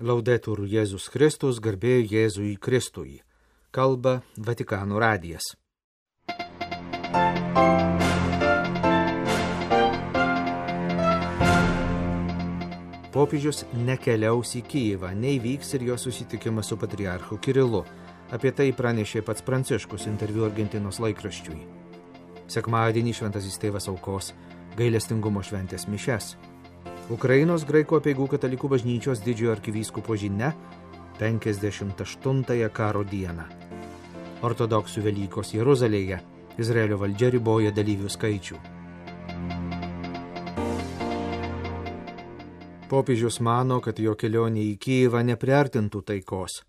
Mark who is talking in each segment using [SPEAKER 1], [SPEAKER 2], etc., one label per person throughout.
[SPEAKER 1] Laudetur Jėzus Kristus, garbė Jėzui Kristui. Kalba Vatikano radijas. Popiežius nekeliaus į Kijevą, neįvyks ir jo susitikimas su patriarchu Kirilu. Apie tai pranešė pats Pranciškus interviu Argentinos laikraščiui. Sekmadienį šventasis tėvas aukos gailestingumo šventės mišias. Ukrainos graikų apeigų katalikų bažnyčios didžiojo arkivyskupo žinia 58 karo dieną. Ortodoksų Velykos Jeruzalėje Izraelio valdžia riboja dalyvių skaičių. Popiežius mano, kad jo kelionė į Kijevą nepriartintų taikos.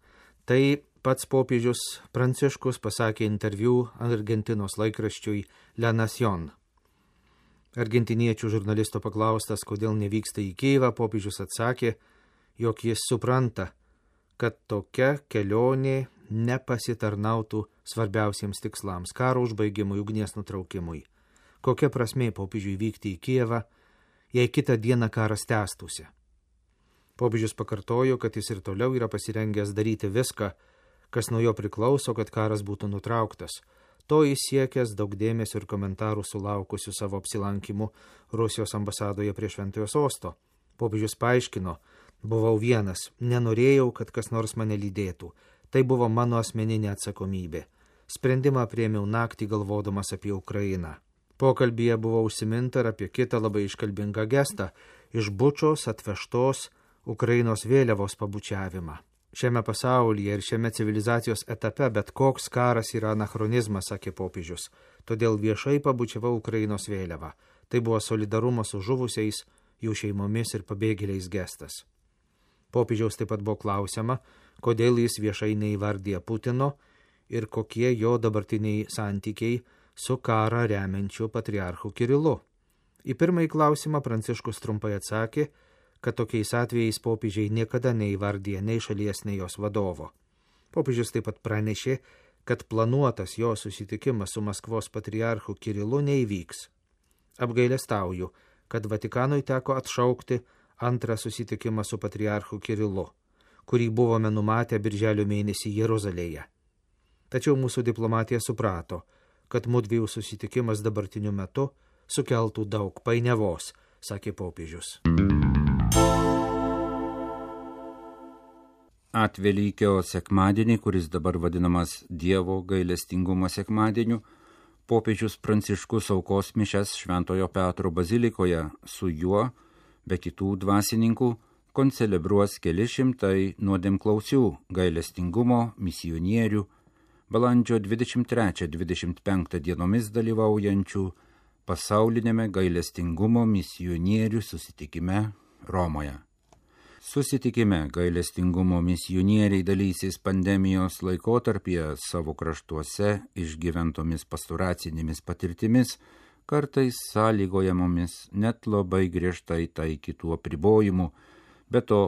[SPEAKER 1] Tai pats popiežius Pranciškus pasakė interviu Argentinos laikraščiui La Nación. Argentiniečių žurnalisto paklaustas, kodėl nevyksta į Kijevą, popiežius atsakė, jog jis supranta, kad tokia kelionė nepasitarnautų svarbiausiems tikslams – karo užbaigimui, ugnies nutraukimui. Kokia prasmė popiežiui vykti į Kijevą, jei kitą dieną karas tęstųsi? Popiežius pakartojo, kad jis ir toliau yra pasirengęs daryti viską, kas nuo jo priklauso, kad karas būtų nutrauktas. To jis siekęs daug dėmesio ir komentarų sulaukusių savo apsilankimu Rusijos ambasadoje prie Šventojo Sosto. Popiežius paaiškino, buvau vienas, nenorėjau, kad kas nors mane lydėtų. Tai buvo mano asmeninė atsakomybė. Sprendimą priėmiau naktį galvodamas apie Ukrainą. Pokalbyje buvo užsiminta ir apie kitą labai iškalbingą gestą – iš Bučos atvežtos Ukrainos vėliavos pabučiavimą. Šiame pasaulyje ir šiame civilizacijos etape bet koks karas yra anachronizmas, sakė popiežius. Todėl viešai pabučiavau Ukrainos vėliavą. Tai buvo solidarumo su žuvusiais, jų šeimomis ir pabėgėliais gestas. Popiežiaus taip pat buvo klausiama, kodėl jis viešai neįvardija Putino ir kokie jo dabartiniai santykiai su karą remiančiu patriarchu Kirilu. Į pirmąjį klausimą Pranciškus trumpai atsakė, kad tokiais atvejais popiežiai niekada neįvardija nei šalies, nei jos vadovo. Popiežius taip pat pranešė, kad planuotas jo susitikimas su Maskvos patriarchu Kirilu neįvyks. Apgailestauju, kad Vatikanui teko atšaukti antrą susitikimą su patriarchu Kirilu, kurį buvome numatę birželio mėnesį Jeruzalėje. Tačiau mūsų diplomatija suprato, kad mudviejų susitikimas dabartiniu metu sukeltų daug painiavos, sakė popiežius.
[SPEAKER 2] Atvelykio sekmadienį, kuris dabar vadinamas Dievo gailestingumo sekmadieniu, popiežius Pranciškus aukos mišias Šventojo Petro bazilikoje su juo, be kitų dvasininkų, koncelebruos keli šimtai nuodėmklausių gailestingumo misionierių, balandžio 23-25 dienomis dalyvaujančių pasaulinėme gailestingumo misionierių susitikime Romoje. Susitikime gailestingumo misionieriai dalysis pandemijos laikotarpyje savo kraštuose išgyventomis pastoracinėmis patirtimis, kartais sąlygojamomis net labai griežtai taikytų apribojimų, be to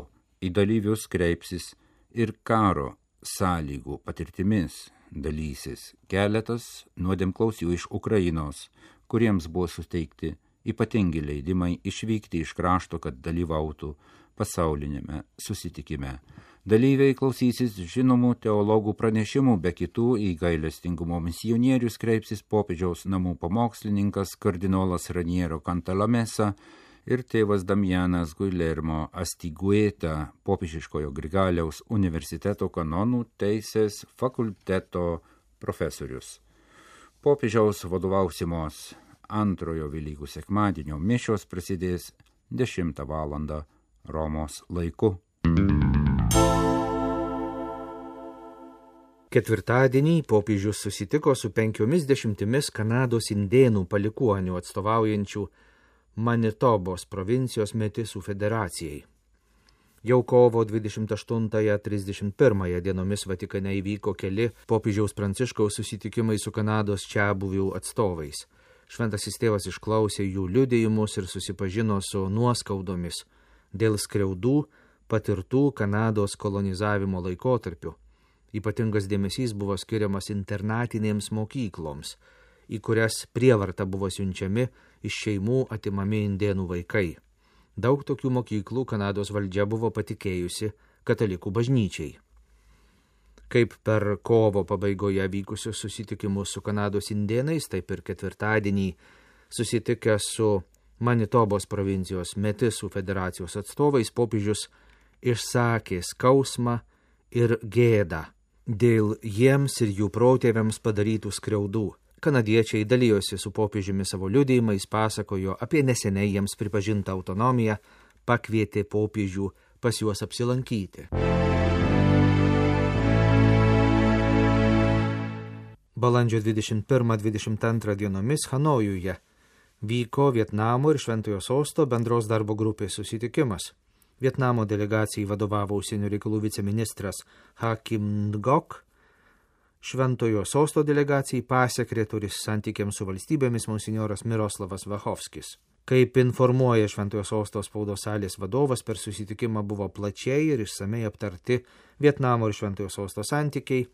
[SPEAKER 2] į dalyvius kreipsis ir karo sąlygų patirtimis dalysis keletas nuodėmklausių iš Ukrainos, kuriems buvo suteikti ypatingi leidimai išvykti iš krašto, kad dalyvautų pasaulinėme susitikime. Dalyviai klausysis žinomų teologų pranešimų, be kitų į gailestingumo misionierius kreipsis popiežiaus namų pamokslininkas kardinolas Raniero Cantalamessa ir tėvas Damianas Guillermo Astigueta, popiežiškojo Grigaliaus universiteto kanonų teisės fakulteto profesorius. Popiežiaus vadovausimos antrojo Velykų sekmadienio mišios prasidės 10 valandą Romos laiku.
[SPEAKER 1] Ketvirtadienį popiežius susitiko su 50 Kanados indėnų palikuonių atstovaujančių Manitobos provincijos metisų federacijai. Jau kovo 28-31 dienomis Vatikane įvyko keli popiežiaus Pranciškaus susitikimai su Kanados čiabuvių atstovais. Šventasis tėvas išklausė jų liudijimus ir susipažino su nuoskaudomis dėl skriaudų patirtų Kanados kolonizavimo laikotarpiu. Ypatingas dėmesys buvo skiriamas internatinėms mokykloms, į kurias prievarta buvo siunčiami iš šeimų atimami indėnų vaikai. Daug tokių mokyklų Kanados valdžia buvo patikėjusi katalikų bažnyčiai. Kaip per kovo pabaigoje vykusius susitikimus su Kanados indėnais, taip ir ketvirtadienį susitikęs su Manitobos provincijos Metisų federacijos atstovais, popiežius išsakė skausmą ir gėdą dėl jiems ir jų protėviams padarytų skriaudų. Kanadiečiai dalijosi su popiežiumi savo liudijimais, pasakojo apie neseniai jiems pripažintą autonomiją, pakvietė popiežių pas juos apsilankyti. Balandžio 21-22 dienomis Hanojuje vyko Vietnamo ir Šventojo Sosto bendros darbo grupės susitikimas. Vietnamo delegacijai vadovavo užsienio reikalų viceministras Ha Kim Ngok, Šventojo Sosto delegacijai pasekretorius santykiams su valstybėmis monsinjoras Miroslavas Vachovskis. Kaip informuoja Šventojo Sosto spaudos salės vadovas, per susitikimą buvo plačiai ir išsamei aptarti Vietnamo ir Šventojo Sosto santykiai,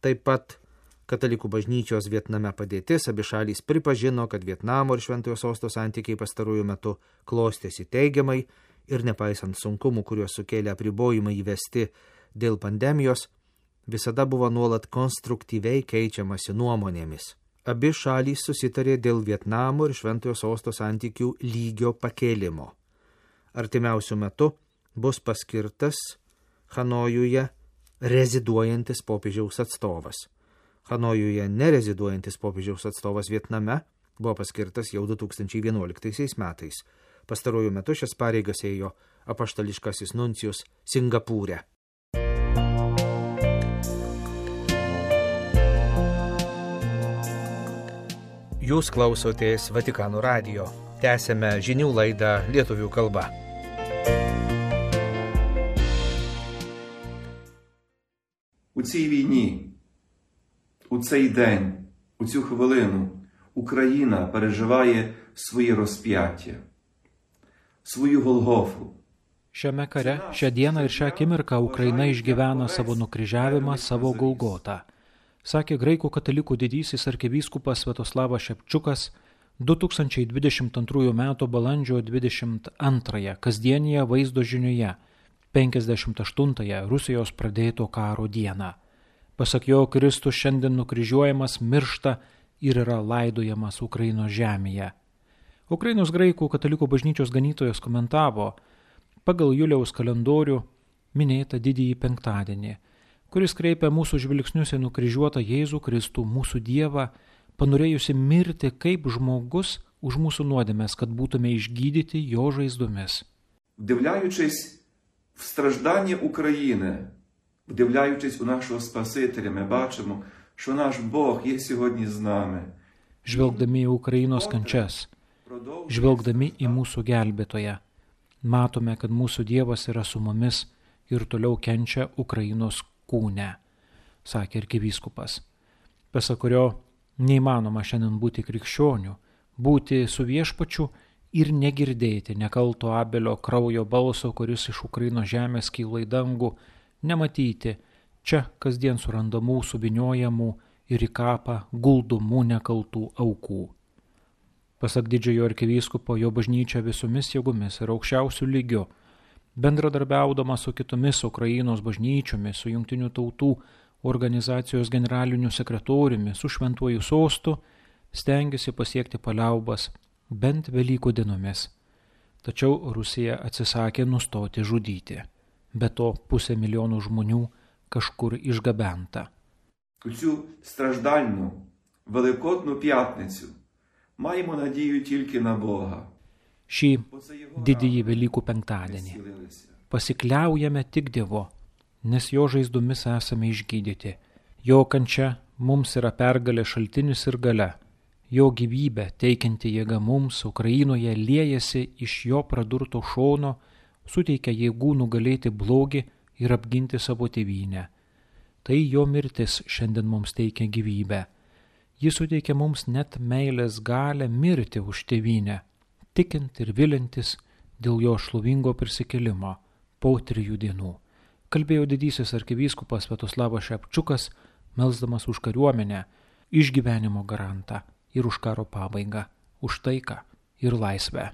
[SPEAKER 1] taip pat Katalikų bažnyčios Vietname padėtis. Abi šalys pripažino, kad Vietnamo ir Šventojo Sosto santykiai pastarųjų metu klostėsi teigiamai ir nepaisant sunkumų, kuriuos sukėlė apribojimai įvesti dėl pandemijos, visada buvo nuolat konstruktyviai keičiamasi nuomonėmis. Abi šalys susitarė dėl Vietnamo ir Šventojo Sosto santykių lygio pakėlimo. Artimiausiu metu bus paskirtas Hanojuje reziduojantis popiežiaus atstovas. Hanojuje nereziduojantis popiežiaus atstovas Vietname buvo paskirtas jau 2011 metais. Pastaruoju metu šias pareigas ėjo apaštališkasis nuncijus Singapūre. Jūs klausotės Vatikano radijo. Tęsėme žinių laidą lietuvių kalba.
[SPEAKER 3] У цій війні, у цей день, у цю хвилину Україна переживає своє розп'яття, свою Голгофу.
[SPEAKER 4] Šiame kare, šią dieną ir šią akimirką Ukraina išgyvena savo nukryžiavimą, savo Golgotą, sakė graikų katalikų didysis arkivyskupas Sviatoslavas Šepčiukas 2022 m. balandžio 22 kasdienėje vaizdo žinioje, 58-ąją Rusijos pradėto karo dieną. Pasak jo, Kristus šiandien nukryžiuojamas, miršta ir yra laidojamas Ukrainos žemėje. Ukrainos graikų katalikų bažnyčios ganytojas komentavo pagal Juliaus kalendorių minėtą didįjį penktadienį, kuris kreipia mūsų žvilgsnius į nukryžiuotą Jėzų Kristų, mūsų Dievą, panorėjusi mirti kaip žmogus už mūsų nuodėmes, kad būtume išgydyti jo žaizdomis.
[SPEAKER 3] Вдивляючись в страждання України, вдивляючись у нашого Спасителя, ми бачимо, що наш Бог є сьогодні з нами.
[SPEAKER 4] Žvelgdami į Ukrainos kančias, žvelgdami į mūsų gelbėtoją, matome, kad mūsų Dievas yra su mumis ir toliau kenčia Ukrainos kūne, sakė arkivyskupas, pasak kurio neįmanoma šiandien būti krikščioniu, būti su Viešpačiu ir negirdėti nekalto Abelio kraujo balso, kuris iš Ukrainos žemės kyla į dangų, nematyti čia kasdien surandamų, suvyniojamų ir į kapą guldumų nekaltų aukų. Pasak didžiojo arkivyskupo, jo bažnyčia visomis jėgomis ir aukščiausių lygių, bendradarbiaudama su kitomis Ukrainos bažnyčiomis, su Jungtinių tautų organizacijos generaliniu sekretoriumi, su Šventuoju Sostu, stengiasi pasiekti paliaubas bent Velykų dienomis. Tačiau Rusija atsisakė nustoti žudyti. Be to 500 000 žmonių kažkur išgabenta.
[SPEAKER 3] У цю страждальну, Великодну п'ятницю маємо надію тільки на Бога.
[SPEAKER 4] Šį didįjį Velykų penktadienį pasikliaujame tik Dievu, nes jo žaizdomis esame išgydyti. Jo kančia mums yra pergalė šaltinis ir galia. Jo gyvybė teikianti jėga mums Ukrainoje liejasi iš jo pradurto šono, suteikia jėgų nugalėti blogį ir apginti savo tėvynę. Tai jo mirtis šiandien mums teikia gyvybę. Jis suteikia mums net meilės galę mirti už tėvynę, tikint ir vilintis dėl jo šlovingo prisikėlimo po 3 dienų. Kalbėjo didysis arkivyskupas Sviatoslavas Šepčiukas, melsdamas už kariuomenę, išgyvenimo garantą ir už karo pabaigą, už taiką ir laisvę.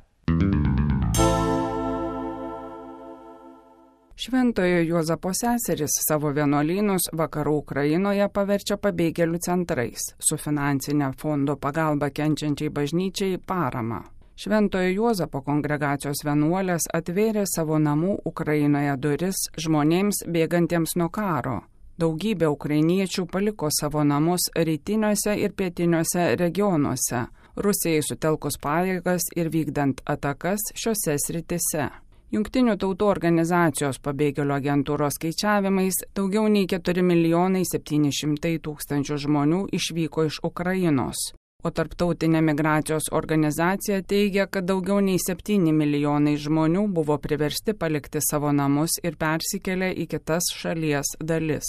[SPEAKER 5] Šventojo Juozapo seserys savo vienuolynus vakarų Ukrainoje paverčia pabėgėlių centrais, su finansinė fondo pagalba kenčiančiai bažnyčiai parama. Šventojo Juozapo kongregacijos vienuolės atvėrė savo namų Ukrainoje duris žmonėms bėgantiems nuo karo. Daugybė ukrainiečių paliko savo namus rytiniuose ir pietiniuose regionuose, Rusijai sutelkus pajėgas ir vykdant atakas šiose sritise. Jungtinių tautų organizacijos pabėgėlių agentūros skaičiavimais daugiau nei 4 700 000 žmonių išvyko iš Ukrainos, o Tarptautinė migracijos organizacija teigia, kad daugiau nei 7 milijonai žmonių buvo priversti palikti savo namus ir persikėlė į kitas šalies dalis.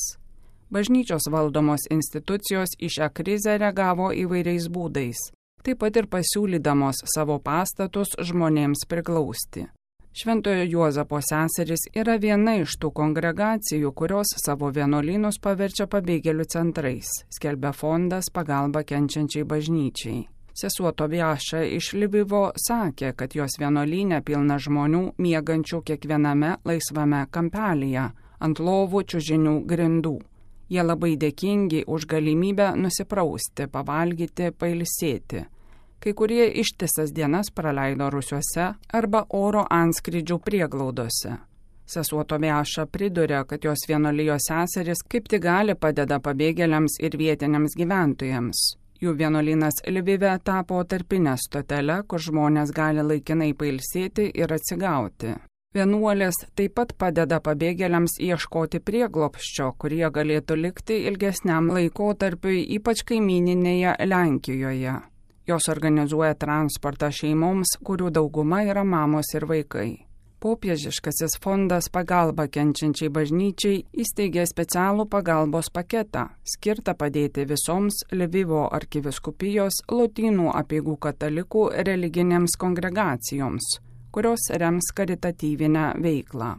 [SPEAKER 5] Bažnyčios valdomos institucijos į šią krizę reagavo įvairiais būdais, taip pat ir pasiūlydamos savo pastatus žmonėms priglausti. Šventojo Juozapo seserys yra viena iš tų kongregacijų, kurios savo vienuolynus paverčia pabėgėlių centrais, skelbia fondas pagalba kenčiančiai bažnyčiai. Sesuo Tobiaša iš Lvivo sakė, kad jos vienuolynė pilna žmonių miegančių kiekviename laisvame kampelyje, ant lovų čiužinių grindų. Jie labai dėkingi už galimybę nusiprausti, pavalgyti, pailsėti. Kai kurie ištisas dienas praleido rūsiuose arba oro antskrydžių prieglaudose. Sesuo Tobiaša priduria, kad jos vienuolijos seserys kaip tik gali padeda pabėgėliams ir vietiniams gyventojams. Jų vienuolynas Lvive tapo tarpinė stotelė, kur žmonės gali laikinai pailsėti ir atsigauti. Vienuolės taip pat padeda pabėgėliams ieškoti prieglobsčio, kurie galėtų likti ilgesniam laikotarpiui, ypač kaimyninėje Lenkijoje. Jos organizuoja transportą šeimoms, kurių dauguma yra mamos ir vaikai. Popiežiškasis fondas pagalba kenčiančiai bažnyčiai įsteigė specialų pagalbos paketą, skirtą padėti visoms Lvivo arkivyskupijos Lotynų apeigų katalikų religinėms kongregacijoms, kurios rems karitatyvinę veiklą.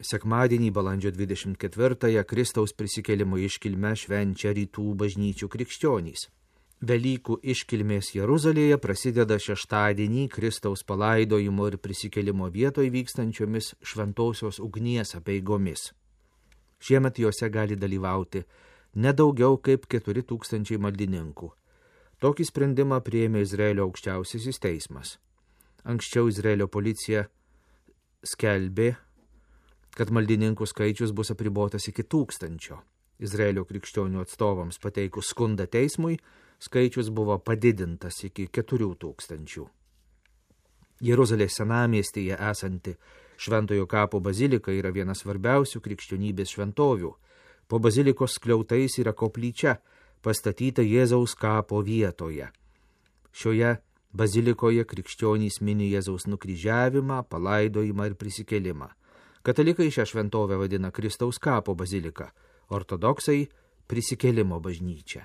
[SPEAKER 1] Sekmadienį balandžio 24-ąją Kristaus prisikėlimo iškilmę švenčia rytų bažnyčių krikščionys. Velykų iškilmės Jeruzalėje prasideda šeštadienį Kristaus palaidojimo ir prisikėlimo vietoje vykstančiomis šventosios ugnies apeigomis. Šiemet juose gali dalyvauti nedaugiau kaip 4000 maldininkų. Tokį sprendimą priėmė Izraelio aukščiausiasis teismas. Anksčiau Izraelio policija skelbė, kad maldininkų skaičius bus apribotas iki 1000. Izraelio krikščionių atstovams pateikus skundą teismui, skaičius buvo padidintas iki 4000. Jeruzalės senamiestyje esanti Šventojo kapo bazilika yra vienas svarbiausių krikščionybės šventovių. Po bazilikos skliautais yra koplyčia, pastatyta Jėzaus kapo vietoje. Šioje bazilikoje krikščionys mini Jėzaus nukryžiavimą, palaidojimą ir prisikėlimą. Katalikai šią šventovę vadina Kristaus kapo bazilika, ortodoksai prisikėlimo bažnyčia.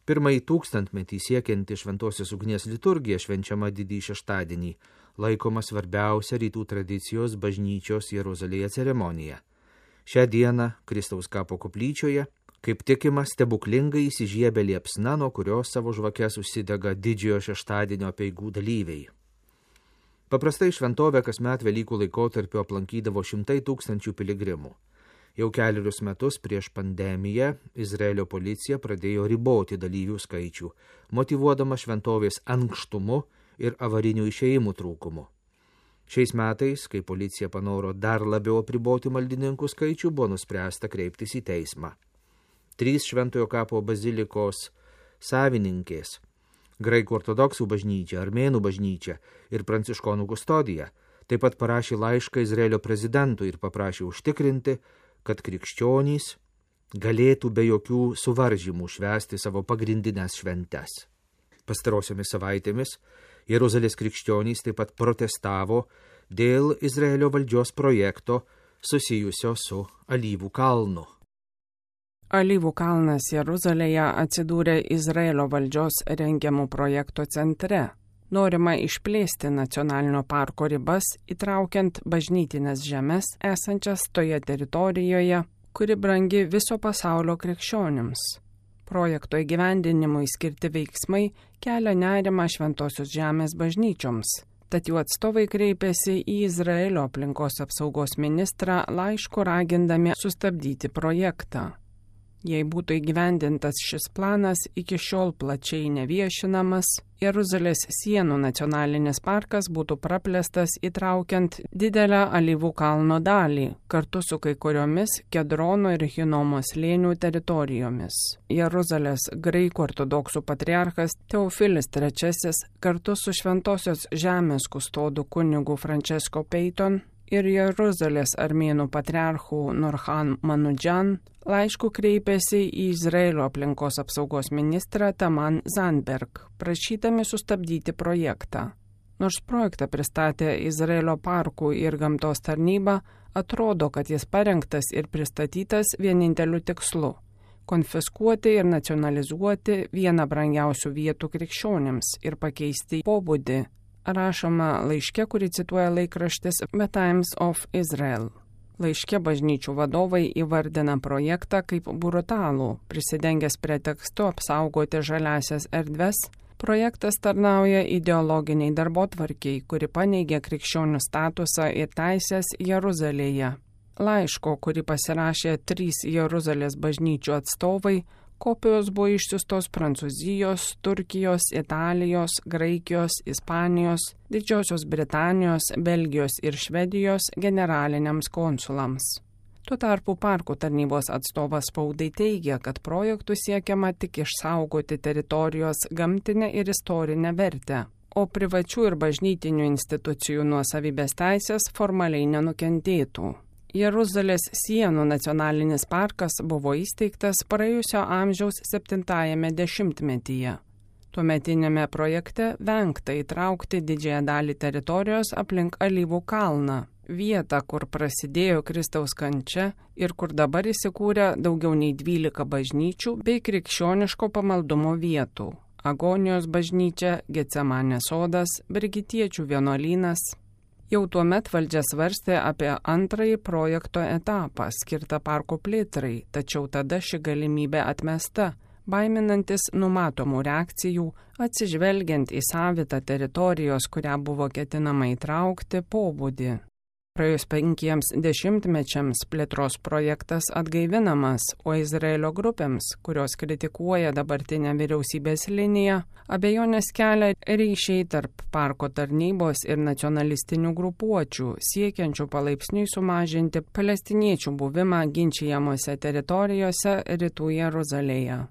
[SPEAKER 1] Pirmąjį 1000-metį siekianti šventosios ugnies liturgija švenčiama didįjį šeštadienį, laikoma svarbiausia rytų tradicijos bažnyčios Jeruzalėje ceremonija. Šią dieną Kristaus kapo koplyčioje, kaip tikima, stebuklingai įsižiebė liepsna, nuo kurios savo žvakes užsidega didžiojo šeštadienio apeigų dalyviai. Paprastai šventovę kasmet Velykų laikotarpiu aplankydavo 100 000 piligrimų. Jau kelerius metus prieš pandemiją Izraelio policija pradėjo riboti dalyvių skaičių, motyvuodama šventovės ankštumu ir avarinių išėjimų trūkumu. Šiais metais, kai policija panoro dar labiau apriboti maldininkų skaičių, buvo nuspręsta kreiptis į teismą. 3 Šventojo kapo bazilikos savininkės, Graikų ortodoksų bažnyčia, Armėnų bažnyčia ir Pranciškonų kustodija, taip pat parašė laišką Izraelio prezidentui ir paprašė užtikrinti, kad krikščionys galėtų be jokių suvaržymų švęsti savo pagrindinės šventes. Pastarosiomis savaitėmis Jeruzalės krikščionys taip pat protestavo dėl Izraelio valdžios projekto susijusio su Alyvų kalnu.
[SPEAKER 5] Alyvų kalnas Jeruzalėje atsidūrė Izraelio valdžios rengiamų projekto centre. Norima išplėsti nacionalinio parko ribas, įtraukiant bažnytinės žemes esančias toje teritorijoje, kuri brangi viso pasaulio krikščionims. Projekto įgyvendinimui skirti veiksmai kelia nerimą Šventosios žemės bažnyčioms. Tad jų atstovai kreipėsi į Izraelio aplinkos apsaugos ministrą laišku ragindami sustabdyti projektą. Jei būtų įgyvendintas šis planas, iki šiol plačiai neviešinamas, Jeruzalės sienų nacionalinis parkas būtų praplėstas įtraukiant didelę Alyvų kalno dalį, kartu su kai kuriomis Kedrono ir Hinomo slėnių teritorijomis. Jeruzalės graikų ortodoksų patriarchas Teofilis III kartu su Šventosios žemės kustodu kunigu Francesco Peyton ir Jeruzalės armėnų patriarchų Nurhan Manudžan laišku kreipėsi į Izraelio aplinkos apsaugos ministrą Taman Zandberg, prašydami sustabdyti projektą. Nors projektą pristatė Izraelio parkų ir gamtos tarnyba, atrodo, kad jis parengtas ir pristatytas vieninteliu tikslu – konfiskuoti ir nacionalizuoti vieną brangiausių vietų krikščionims ir pakeisti pobūdį, rašoma laiške, kurį cituoja laikraštis The Times of Israel. Laiške bažnyčių vadovai įvardina projektą kaip brutalų, prisidengęs pretekstu apsaugoti žaliasias erdves. Projektas tarnauja ideologiniai darbotvarkiai, kuri paneigia krikščionių statusą ir teisės Jeruzalėje. Laiško, kurį pasirašė 3 Jeruzalės bažnyčių atstovai, kopijos buvo išsiųstos Prancūzijos, Turkijos, Italijos, Graikijos, Ispanijos, Didžiosios Britanijos, Belgijos ir Švedijos generaliniams konsulams. Tuo tarpu parkų tarnybos atstovas spaudai teigia, kad projektų siekiama tik išsaugoti teritorijos gamtinę ir istorinę vertę, o privačių ir bažnytinių institucijų nuosavybės teisės formaliai nenukentėtų. Jeruzalės sienų nacionalinis parkas buvo įsteigtas praėjusio amžiaus 70-ame dešimtmetyje. Tuometinėme projekte vengta įtraukti didžiąją dalį teritorijos aplink Alyvų kalną, vietą, kur prasidėjo Kristaus kančia ir kur dabar įsikūrė daugiau nei 12 bažnyčių bei krikščioniško pamaldumo vietų – Agonijos bažnyčia, Getsemanės sodas, Brigitiečių vienuolynas. Jau tuomet valdžia svarstė apie antrąjį projekto etapą skirtą parko plėtrai, tačiau tada ši galimybė atmesta, baiminantis numatomų reakcijų, atsižvelgiant į savitą teritorijos, kurią buvo ketinama įtraukti, pobūdį. Praėjus 5 dešimtmečiams plėtros projektas atgaivinamas, o Izraelio grupėms, kurios kritikuoja dabartinę vyriausybės liniją, abejonės kelia ryšiai tarp parko tarnybos ir nacionalistinių grupuočių, siekiančių palaipsniui sumažinti palestiniečių buvimą ginčijamose teritorijose rytų Jeruzalėje.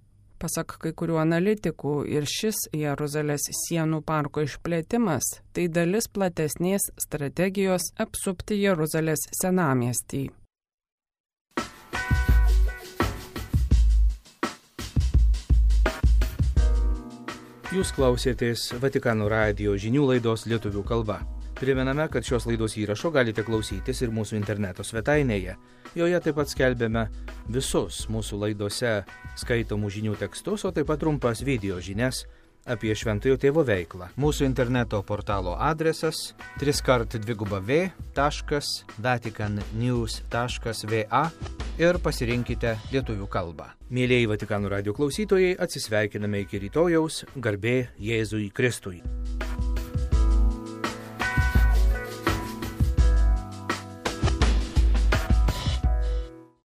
[SPEAKER 5] Pasak kai kurių analitikų, ir šis Jeruzalės sienų parko išplėtimas – tai dalis platesnės strategijos apsupti Jeruzalės senamiestį.
[SPEAKER 1] Jūs klausėtės Vatikano radijo žinių laidos lietuvių kalba. Primename, kad šios laidos įrašo galite klausytis ir mūsų interneto svetainėje. Joje taip pat skelbėme visus mūsų laidose skaitomų žinių tekstus, o taip pat trumpas video žinias apie Šventojo Tėvo veiklą. Mūsų interneto portalo adresas www.vaticannews.va ir pasirinkite lietuvių kalbą. Mėlieji Vatikano radijo klausytojai, atsisveikiname iki rytojaus, garbė Jėzui Kristui.